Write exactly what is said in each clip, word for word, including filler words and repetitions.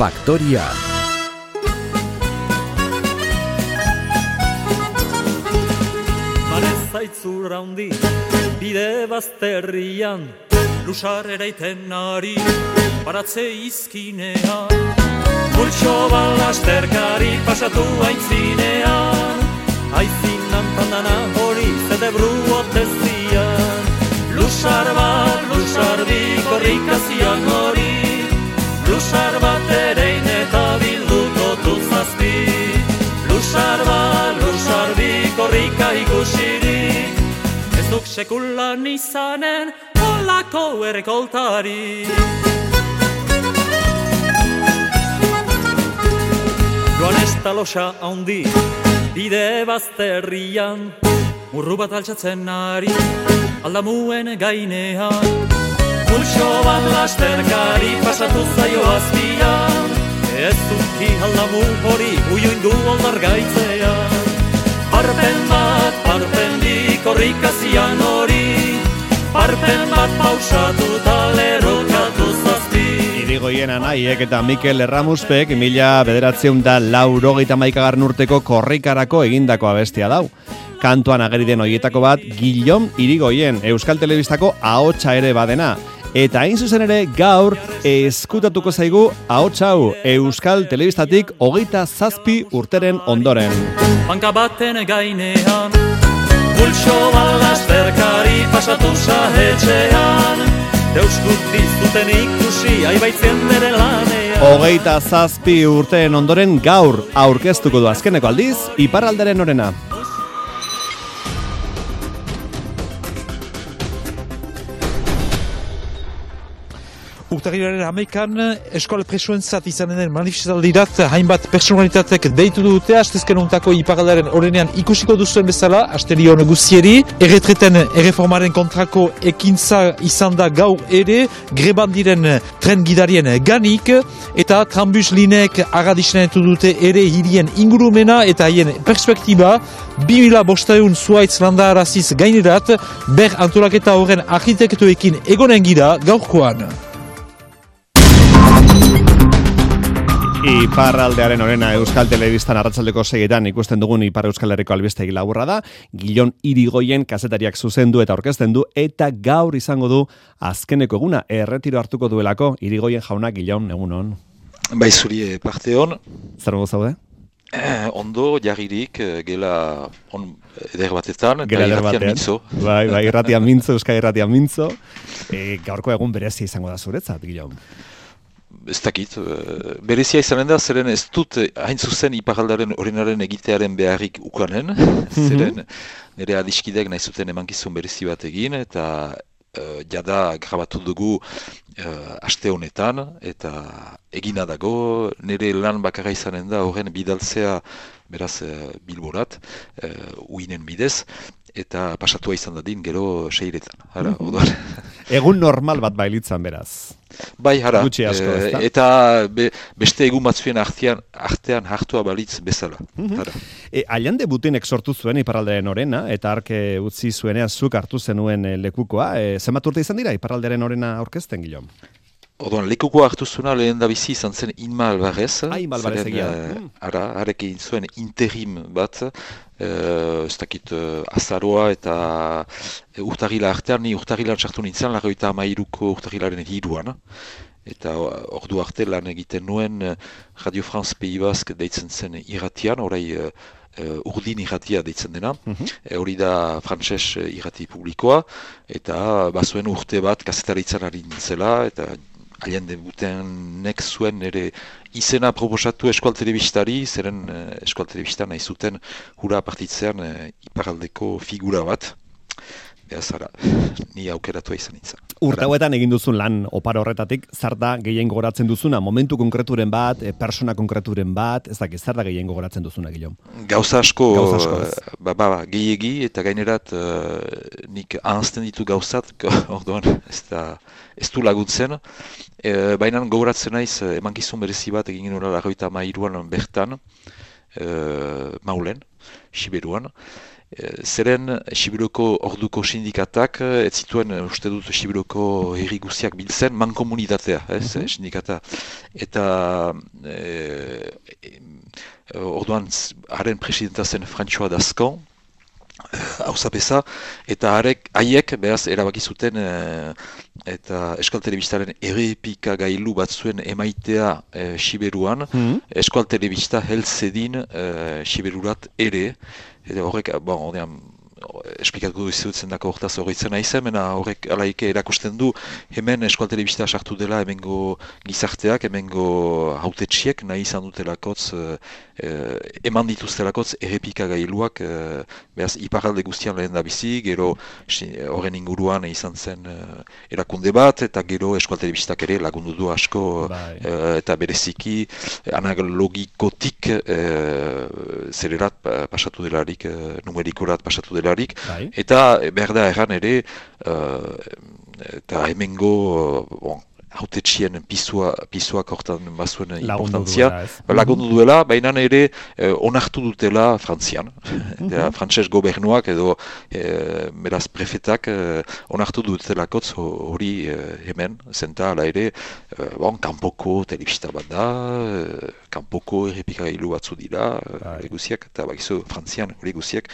Faktoria. Zaitzur handi, bide bazterrian, lusar eraiten ari, baratze izkinean. Multxo balasterkari pasatu aintzinean, aizinan pandana hori zede bruotezian. Lusar bat, lusar bi korrikazian hori, lusar bat erein eta bilduko tuzazpi. Lusar bat, lusar bi korrika ikusirik, ez duk sekulan izanen olako errekoltari. Joan ez talosa handi, bide bazterrian, murru bat altxatzen ari, aldamuen gainean. Multxo bat lasterkari pasatu zaio azpian, ez duki aldamu hori uiuindu oldar gaitzean. Parpen bat, parpen bi korrikazian hori, parpen bat pausatu talerokatu zazpi. Irigoien Anaiek eta Mikel Erramuspek mila bederatzeun da laurogeita maikagarren urteko korrikarako egindako abestia dau. Kantuan ageri den hoietako bat Guillaume Irigoien, Euskal Telebistako ahotsa ere badena. Eta hain zuzen ere gaur eskutatuko zaigu ahots hau Euskal Telebistatik hogeita zazpi urteren ondoren. Banka baten gainean, pulso balasterkari pasatu zahetxean, deuskut dizuten ikusi aibaitzen bere lanean. Hogeita zazpi urteen ondoren gaur aurkeztuko du azkeneko aldiz iparralderen orena. Urtarrilaren hamaikan eskola presoentzat izanen den manifestaldirat hainbat personalitatek deitu dute astezken untako iparraldaren orenean ikusiko duzuen bezala, asterion guzieri, erretreten erreformaren kontrako ekintza izan da gaur ere, greban diren tren gidarien ganik, eta trambus lineek agadisnenetu dute ere hirien ingurumena eta haien perspektiba, bi mila bosteun zuaitz landaraziz gainerat, ber antolaketa horren arkitektuekin egonen gira gaurkoan. Iparraldearen orena Euskal Telebistan arratsaldeko seietan ikusten dugun Ipar Euskal Herriko albistegi laburra da. Guillaume Irigoien kazetariak zuzendu eta aurkezten du eta gaur izango du azkeneko eguna erretiro hartuko duelako. Irigoien jauna, Guillaume, egunon. Bai, zuri parte hon. Zer modu zaude? Eh, ondo, jarririk, gela on eder batetan, eta irratian mintzo. Bai, bai, irratian mintzo, Euskal irratian mintzo. E, gaurko egun berezia izango da zuretzat, Guillaume. Ez dakit, berezia izanen da, zeren ez dut hain zuzen iparraldaren orenaren egitearen beharrik ukanen, zeren nire adiskidek nahi zuten emankizun berezi bat egin, eta uh, jada grabatu dugu uh, aste honetan, eta egina dago, nire lan bakarra izanen da horren bidaltzea beraz uh, bilborat, uh, uinen bidez, eta pasatua izan dadin gero seiretan. Hara, mm-hmm. Egun normal bat bailitzan beraz. Bai, hara, Gutxi asko, e, eta be, beste egun batzuen artean, artean hartua balitz bezala. Mm-hmm. E, Allende Butinek sortu zuen iparralderen orena, eta arke utzi zuenean zuk hartu zenuen lekukoa. E, zenbat urte izan dira iparralderen orena aurkezten, Guillaume? Orduan, lekukoa hartu zuena lehen da bizi izan zen Inma Alvarez. Ah, Inma Alvarez egia. Uh, ara, harek egin zuen interim bat, uh, ez dakit uh, azaroa eta uh, urtarrila artean, ni urtarrilan sartu nintzen, larroita amairuko urtarrilaren hiruan. Eta ordu arte lan egiten nuen uh, Radio France Pays Basque deitzen zen irratian, orai uh, uh, urdin irratia deitzen dena. Mm-hmm. E, hori da frantses irrati publikoa, eta bazuen urte bat kazetaritzan ari nintzela, eta Allende Butenek zuen ere izena proposatu Eskual Telebistari, zeren uh, Eskual Telebista nahi zuten hura partitzean uh, iparraldeko figura bat. Beaz, ara, ni aukeratua izan nintzen. Urte hauetan egin duzun lan oparo horretatik, zer da gehien gogoratzen duzuna? Momentu konkreturen bat, persona konkreturen bat, ez dakit, zer da gehien gogoratzen duzuna, Guillaume? Gauza asko, Gauza asko uh, ba, ba, gehiegi, eta gainerat uh, nik ahazten ditu gauzat, orduan ez, da, ez du laguntzen. E, baina gogoratzen naiz, emankizun berezi bat egin genuen larroita mairuan bertan, uh, Maulen, Siberuan, zeren Sibiroko orduko sindikatak ez zituen uste dut Sibiroko herri guztiak biltzen mankomunitatea, ez, mm-hmm. sindikata. Eta e, e, orduan haren presidenta zen François Dascan, hauzapeza, eta harek, haiek, behaz, erabaki zuten e, eta Euskal Telebistaren errepika gailu bat zuen emaitea e, Siberuan, mm-hmm. Euskal Telebista helzedin e, Siberurat ere, eta horrek, bon, ordean, esplikatuko izutzen dako hortaz horretzen aizen, mena horrek alaike erakusten du hemen Euskal Telebista sartu dela hemengo gizarteak, hemengo hautetxiek nahi izan dutelakotz, eh, eman dituztelakotz errepika gailuak, eh, behaz iparalde guztian lehen da bizi, gero horren inguruan izan zen eh, erakunde bat, eta gero Euskal Telebistak ere lagundu du asko, eh, eta bereziki analogikotik eh, zererat pasatu delarik, eh, numerikorat pasatu delarik, Bai. Eta behar da erran ere, uh, eta hemengo uh, bon, hautetxien pisua, pisuak hortan bazuen importantzia, lagundu duela, baina ere eh, onartu dutela Frantzian. Mm-hmm. Frantses gobernuak edo eh, beraz prefetak eh, onartu dutelakotz hori eh, hemen, zenta ala ere, eh, bon, kanpoko telebista bat da, eh, kanpoko errepikagailu batzu dira, hori eh, guziak, eta bakizu Frantzian hori guziak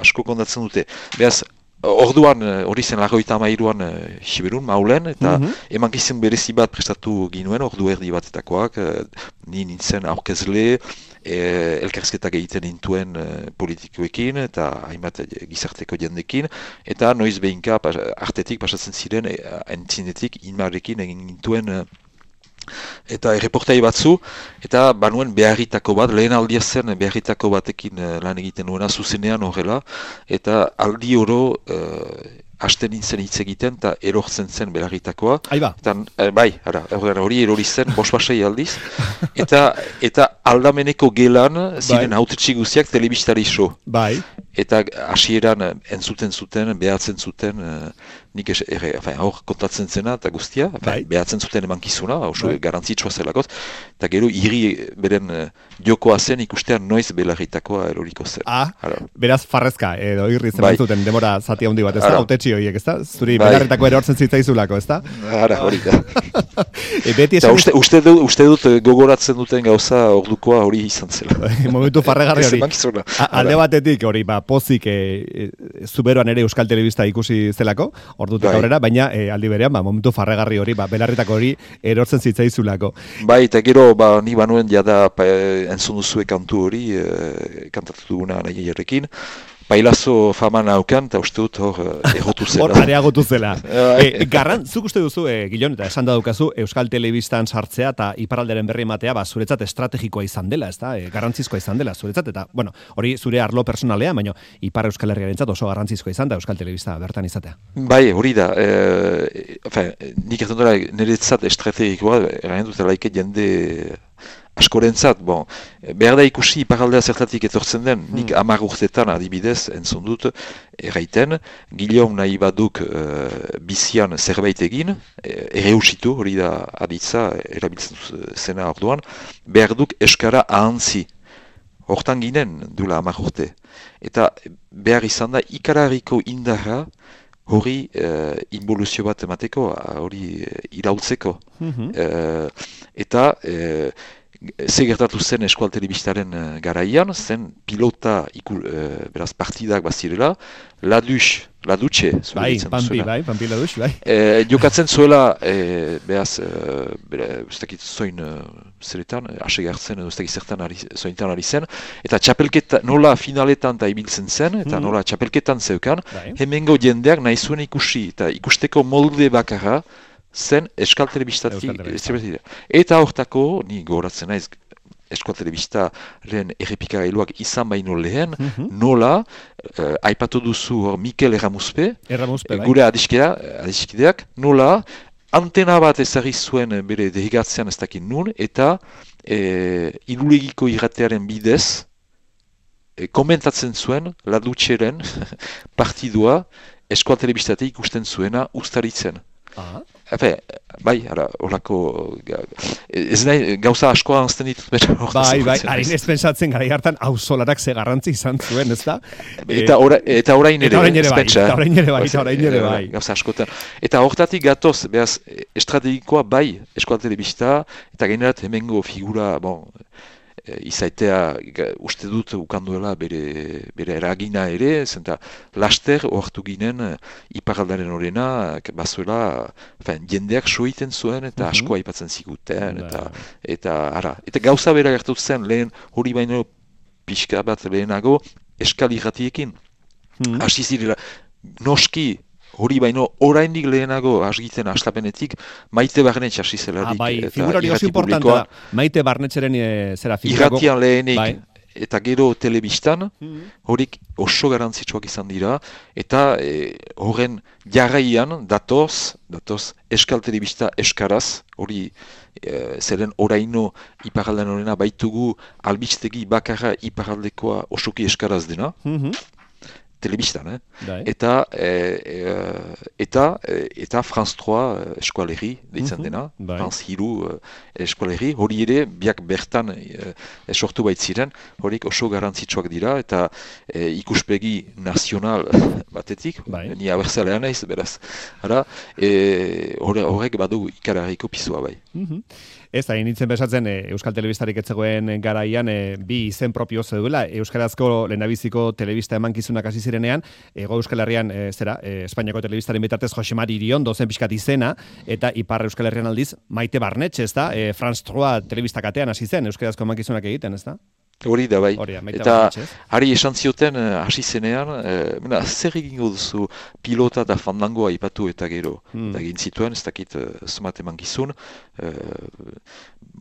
asko kondatzen dute. Beraz, orduan, hori zen larroita amairuan Siberun, Maulen, eta mm-hmm. emankizun berezi bat prestatu ginuen, ordu erdi batetakoak, ni nintzen aurkezle, e, elkarrizketak egiten nintuen e, politikoekin, eta hainbat gizarteko jendekin, eta noiz behinka pas, artetik pasatzen ziren, e, entzinetik inmarrekin egin nintuen e, eta erreportai batzu, eta banuen beharritako bat, lehen aldia zen beharritako batekin lan egiten nuena zuzenean horrela, eta aldi oro uh, hasten nintzen hitz egiten, eta erortzen zen beharritakoa. Aiba. Eta, eh, bai, ara, hori erori zen, bosbasei aldiz, eta, eta aldameneko gelan ziren bai. Hautetxi guziak telebistari so. Bai. Eta hasieran entzuten zuten, behatzen zuten, uh, nik es, erre, afain, hor kontatzen zena eta guztia, afain, bai. Behatzen zuten emankizuna, oso bai. Garantzitsua zelakot, eta gero hiri beren uh, jokoa zen ikustean noiz belarritakoa eroriko zen. Ah, Ara. Beraz farrezka, edo irri zen bai. Zuten demora zati handi bat, ez da? Hautetxi horiek, ez da? Zuri bai. Belarritako erortzen zitzaizulako, ez da? Ara, hori da. e, beti esan... uste, uste, dut, uste dut gogoratzen duten gauza ordukoa hori izan zela. Momentu farregarri hori. Alde batetik hori, ba, pozik e, e, zuberoan ere Euskal Telebista ikusi zelako, ordutik bai. Aurrera, baina e, aldi berean, ba, momentu farregarri hori, ba, belarritako hori erortzen zitzaizulako. Bai, eta gero, ba, ni banuen jada pa, entzun duzue kantu hori, e, kantatu duguna nahi jarrekin, Bailazo fama naukan, eta uste dut hor egotu zela. Hor areagotu zela. e, garran, zuk uste duzu, e, Gilon, eta esan da dukazu, Euskal Telebistan sartzea eta iparralderen berri ematea, ba, zuretzat estrategikoa izan dela, ez da? E, garrantzizkoa izan dela, zuretzat, eta, bueno, hori zure arlo personalea, baina Ipar Euskal Herriarentzat oso garrantzizkoa izan da Euskal Telebista bertan izatea. Bai, hori da. E, enfin, nik ertan dela, niretzat estrategikoa, erain dut laike jende... askorentzat, bon, behar da ikusi iparaldea zertatik etortzen den, nik hmm. hamar urtetan adibidez entzun dut erraiten, Guillaume nahi baduk uh, bizian zerbait egin, ere usitu, hori da aditza, erabiltzen zena orduan, behar duk eskara ahantzi, hortan ginen dula hamar urte, eta behar izan da ikarariko indarra, hori uh, involuzio bat emateko, hori uh, irautzeko, mm-hmm. uh, eta uh, ze gertatu zen Euskal Telebistaren uh, garaian, zen pilota iku, uh, beraz partidak bazirela, Ladux, Ladutxe, bai, Pampi, bai, Pampi Ladux, bai. E, jokatzen zuela, e, beraz, e, ez dakit zoin uh, zeretan, ase gartzen, ez dakit zertan ari, zointan ari zen, eta txapelketa, nola finaletan eta ibiltzen zen, eta mm. nola txapelketan zeukan, bai. Hemengo jendeak nahi zuen ikusi, eta ikusteko molde bakarra, zen Euskal Telebistatik, eta hortako, ni gogoratzen naiz, Euskal Telebistaren errepikagailuak izan baino lehen, mm-hmm. nola, uh, aipatu duzu hor Mikel Erramuspe, Erramuspe bai. Gure adiskidea, adiskideak, nola, antena bat ezagri zuen bere dehigatzean ez dakit nun, eta e, irulegiko irratearen bidez, e, komentatzen zuen, Ladutxeren partidua Euskal Telebistatik ikusten zuena ustaritzen. Ah. Efe, bai, ara, horako, ez nahi, gauza askoa anzten ditut bera. Bai, bai, harin ez pensatzen gara hartan auzolarak ze garrantzi izan zuen, ez da? Eta, ora, eta orain ere, eta orain ere bai, espentsa, eta orain ere bai, eta orain ere bai. Gauza askotan. Eta hortatik gatoz, behaz, estrategikoa bai, eskola telebista, eta generat hemengo figura, bon, izaitea uste dut ukanduela bere, bere eragina ere, zenta laster ohartu ginen iparraldaren horrena, bazuela, fin, jendeak soiten zuen eta Mhm. asko aipatzen ziguten, eta, Bai. eta, ara, eta gauza bera gertu zen lehen hori baino pixka bat lehenago eskal irratiekin. Mhm. Hasi zirela, noski hori baino oraindik lehenago asgiten aslapenetik Maite Barnetx hasi zelarik. Ah, bai, eta figura hori oso irrati importantea publikoan, da. Maite Barnetxeren e, zera figurago. irratian lehenik Bai. eta gero telebistan, Mhm. horik oso garantzitsuak izan dira, eta e, horren jarraian datoz, datoz eskal telebista eskaraz, hori e, zeren oraino iparraldean horrena baitugu albistegi bakarra iparraldekoa osoki eskaraz dena, Mhm. telebistan, eh? Bai. Eta, e, e, eta, e, eta France trois eskualerri deitzen Mhm, dena, bai. France hiru eskualerri, hori ere biak bertan e, e, sortu baitziren, horik oso garantzitsuak dira, eta e, ikuspegi nazional batetik, Bai. ni abertzalean naiz, beraz, ara, e, horre- horrek badu ikararriko pizua bai. Mhm. Ez, hain nintzen besatzen, e, Euskal Telebistarik etzegoen garaian e, bi izen propio zeudela. Euskarazko lehendabiziko telebista emankizunak hasi zirenean, Ego Euskal Herrian, e, zera, e, Espainiako telebistaren bitartez Josemari Iriondo zen pixkat izena, eta Ipar Euskal Herrian aldiz, Maite Barnetx, ez da? E, France trois telebistakatean hasi zen, Euskarazko emankizunak egiten, ez da? Hori da bai. Hori da, Maite Eta Barnetx, ez? hari esan zioten eh, hasi zenean, eh, mena, zer egingo duzu pilota eta fandangoa ipatu eta gero. Hmm. Eta egin zituen, ez dakit uh, somat eman gizun, eh,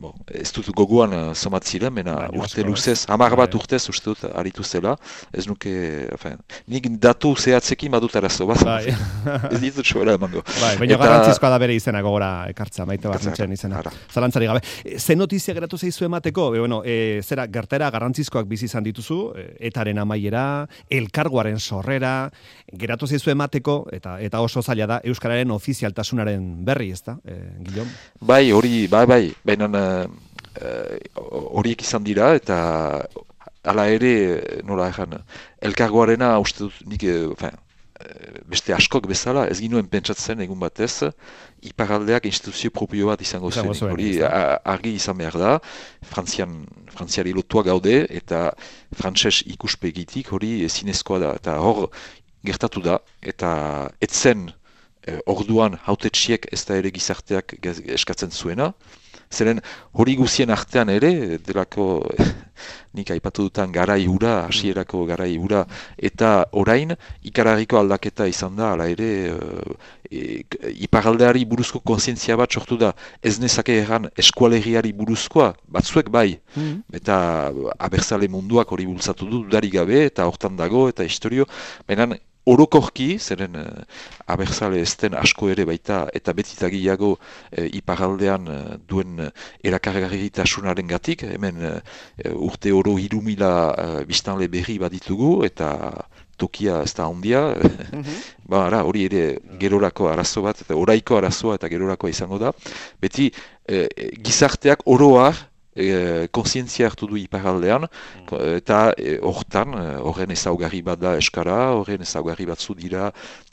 bon, ez dut gogoan uh, somat ziren, mena Baina urte asko, luzez, ez? hamar bat Bai. urtez uste dut aritu zela, ez nuke, enfin, nik datu zehatzekin badut arazo, bat, Bai. ez ditut soela emango. Bai, baina Eta- garrantzizkoa da bere izena gogora ekartza, Maite Ekartza, Barnetxen izena. ara. Zalantzari gabe. E, Ze notizia geratu zaizu emateko? E, bueno, e, zera, gertera garrantzizkoak bizi izan dituzu, e, etaren amaiera, elkargoaren sorrera, geratu zaizu emateko, eta eta oso zaila da, Euskararen ofizialtasunaren berri, ez da, e, Guillaume? Bai, hori, bai, bai, baina eh, eh, horiek izan dira, eta hala ere, nola egan, elkargoarena uste dut nik, eh, enfin, eh, beste askok bezala, ez ginuen pentsatzen egun batez, iparraldeak instituzio propio bat izango Izango zen. zuen, Hori ez da? a- argi izan behar da, Frantzian, Frantziari lotua gaude, eta frantses ikuspegitik hori ezinezkoa da. Eta hor, gertatu da, eta etzen eh, orduan hautetsiek ez da ere gizarteak gez- eskatzen zuena. Zeren hori guzien artean ere, delako nik aipatu dutan garai hura, hasierako garai hura, eta orain ikararriko aldaketa izan da, hala ere, e, iparraldeari buruzko kontzientzia bat sortu da, ez nezake erran eskualerriari buruzkoa, batzuek bai, Mhm. eta abertzale munduak hori bultzatu du, dudarik gabe, eta hortan dago, eta historio, baina orokorki, zeren uh, abertzale ez den asko ere baita, eta betitagiago uh, iparraldean uh, duen uh, erakargarritasunaren gatik, hemen uh, urte oro hiru mila uh, biztanle berri baditugu, eta tokia ez da handia, ba, ara, hori ere gerorako arazo bat, eta oraiko arazoa eta gerorako izango da, beti eh, gizarteak oroar e, kontzientzia hartu du iparraldean, eta e, hortan, horren ezaugarri bat da eskara, horren ezaugarri batzu dira,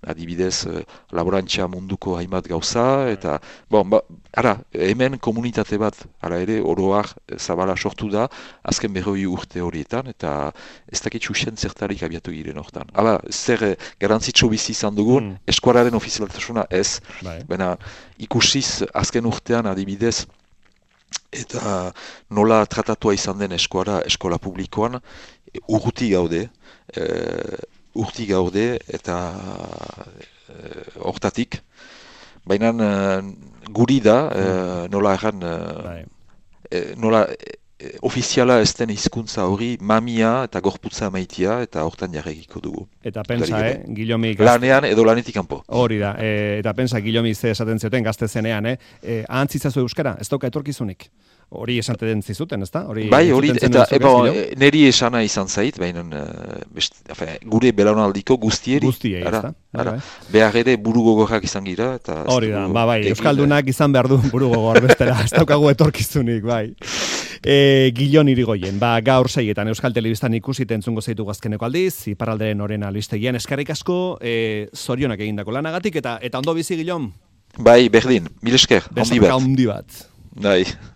adibidez, e, laborantza munduko hainbat gauza, eta, bon, ba, ara, hemen komunitate bat, ara ere, oroar zabala sortu da, azken berroi urte horietan, eta ez dakit xuxen zertarik abiatu giren hortan. Hala, zer e, garantzitsu bizi izan dugun, Mm. eskuararen ofizialtasuna ez, Bai. baina ikusiz azken urtean adibidez, eta nola tratatua izan den eskuara, eskola publikoan, e, urruti gaude, e, urti gaude, eta e, hortatik, baina e, guri da, e, nola erran, e, Bai. e, nola ofiziala ez den hizkuntza hori mamia eta gorputza maitia eta hortan jarregiko dugu. Eta pensa, eh, Guillomi... Lanean edo lanetik kanpo. Hori da, e, eta pensa Guillomi ze esaten zioten gazte zenean, eh? E, ahantzitzazu euskara, ez dauka etorkizunik. Hori esaten zizuten, ezta? Hori bai, hori, eta eba, neri esana izan zait, baina gure belaunaldiko guztieri. Guztiei, ezta? Behar ere buru gogorrak izan gira. Eta hori da, ba, bai, euskaldunak izan behar du buru gogor bestela, ez daukagu etorkizunik, bai. E, Gillon Irigoyen, ba, gaur seietan Euskal Telebistan ikusi entzungo zaitu gazkeneko aldiz, iparralderen orena listegian, eskerrik asko, e, zorionak egindako lanagatik, eta eta ondo bizi, Gillon? Bai, berdin, mil esker, handi bat. Handi bat. Bai.